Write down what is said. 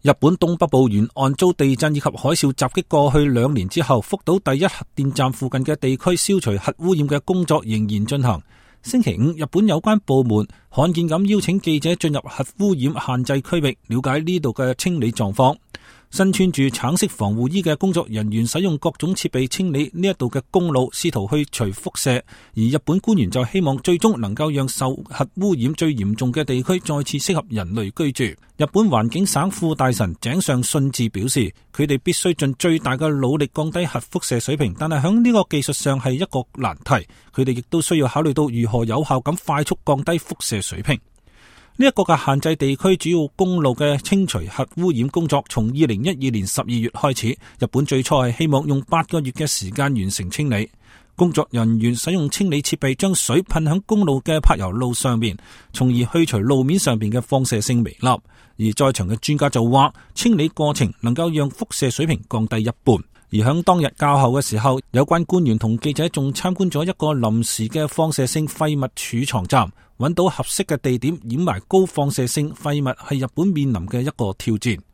日本東北部沿岸遭地震以及海嘯襲擊過去2年之後，福島第一核電站附近嘅地區消除核污染嘅工作仍然進行。星期五，日本有關部門罕見咁邀請記者進入核污染限制區域，了解呢度嘅清理狀況。身穿住橙色防護衣嘅工作人員使用各種設備清理呢一度嘅公路，試圖去除輻射。而日本官員就希望最終能夠讓受核污染最嚴重嘅地區再次適合人類居住。日本環境省副大臣井上信治表示，佢哋必須盡最大嘅努力降低核輻射水平，但係響呢個技術上係一個難題。佢哋亦都需要考慮到如何有效咁快速降低輻射水平。呢一個嘅限制地區主要公路嘅清除核污染工作，從2012年12月開始。日本最初係希望用8個月嘅時間完成清理。工作人員使用清理設備將水噴響公路嘅柏油路上面，從而去除路面上面嘅放射性微粒。而在場嘅專家就話，清理過程能夠讓輻射水平降低一半。而響當日較後嘅時候，有關官員同記者仲參觀咗一個臨時嘅放射性廢物儲藏站，揾到合適嘅地點掩埋高放射性廢物係日本面臨嘅一個挑戰。